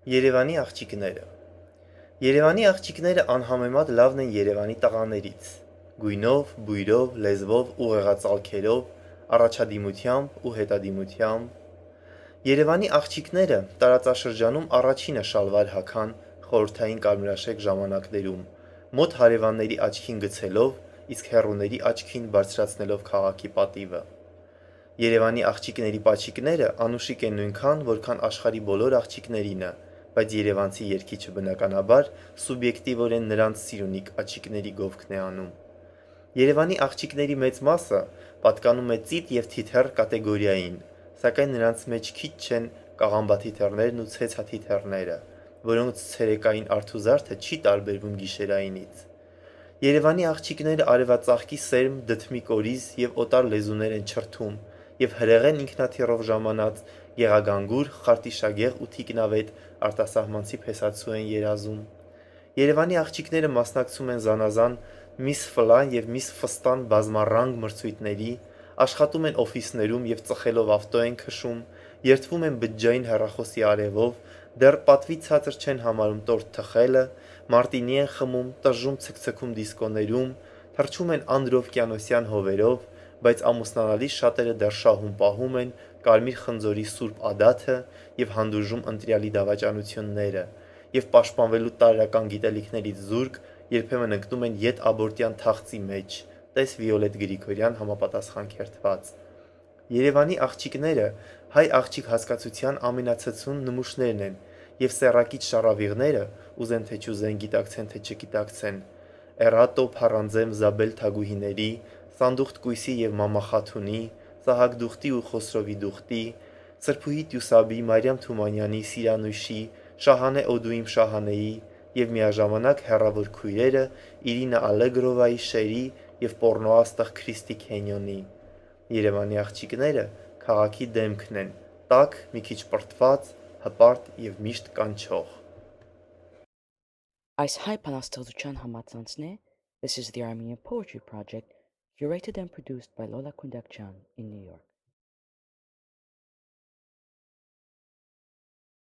Երևանի աղջիկները Երևանի աղջիկները անհամեմատ լավն են Երևանի տղաներից՝ գույնով, բույրով, լեզվով, ուղեղածալքերով, առաջադիմությամբ ու հետադիմությամբ։ Երևանի աղջիկները տարածաշրջանում առաջինը շալվար հագան խորհրդային կարմրաշեկ ժամանակներում, մոտ հարևանների աչքին գցելով, իսկ հեռուների աչքին բարձրացնելով քաղաքի պատիվը։ Երևանի աղջիկների պաչիկները անուշիկ են նույնքան, որքան աշխարհի բոլոր աղջիկներինը, բայց երևանցի երգիչը բնականաբար սուբյեկտիվորեն նրանց սիրունիկ աչիկների գովքն է անում։ Երևանի աղջիկների մեծ մասը պատկանում է ծիտ և թիթեռ կատեգորիային, սակայն նրանց մեջ քիչ չեն կաղամբաթիթեռներն ու ցեցաթիթեռները, որոնց ցերեկային արթուզարդը չի տարբերվում գիշերայինից։ Երևանի աղջիկները արևածաղկի սերմ, դդմի կորիզ և օտար լեզուներ են չրթում և հրեղեն ինքնաթիռով ժամանած գեղագանգուր, խարտիշագեղ ու թիկնավետ արտասահմանցի փեսացու են երազում։ Երևանի աղջիկները մասնակցում են զանազան Miss Ֆլան և Miss Ֆստան բազմառանգ մրցույթների, աշխատում են օֆիսներում և ծխելով ավտո են քշում, երդվում են բջջային հեռախոսի արևով, դեռ պատվից ցածր չեն համարում տորթ թխելը, մարտինի են խմում, տժժում ցկցքում դիսկոներում, թռչում են անդրովկիանոսյան հովերով, բայց ամուսնանալիս շատերը դեռ շահում պահում են կարմիր խնձորի սուրբ ադաթը և հանդուրժում ընտրյալի դավաճանությունները, և պաշտպանվելու տարրական գիտելիքներից զուրկ երբեմն ընկնում են ետաբորտյան թախծի մեջ (տես Վիոլետ Գրիգորյան համապատասխան քերթված)։ Երևանի աղջիկները հայ աղջիկ հասկացության ամենացցուն նմուշներն են և սեռակիչ շառավիղները, ուզեն թե չուզեն, գիտակցեն թե չգիտակցեն, Էռատո Փառանձեմ Զաբել Թագուհիների, Սանդուխտ Կույսի և Մամա Խաթունի, Սահակ Դուխտի ու Խոսրովի Դուխտի, Սրբուհի Տյուսաբի, Մարիամ Թումանյանի, Սիրանույշի, Շահանե Օդուիմ Շահանեի և միաժամանակ հեռավոր քույրերը Իրինա Ալեգրովայի, Շերի և պոռնոաստղ Քրիստի Քենյոնի։ Երևանի աղջիկները քաղաքի դեմքն են՝ տաք, մի քիչ պրտված, հպարտ և միշտ կանչող։ Այս հայ բանաստեղծության համացանցն է This is the Armenian Poetry Project, curated and produced by Lola Kundakjan in New York.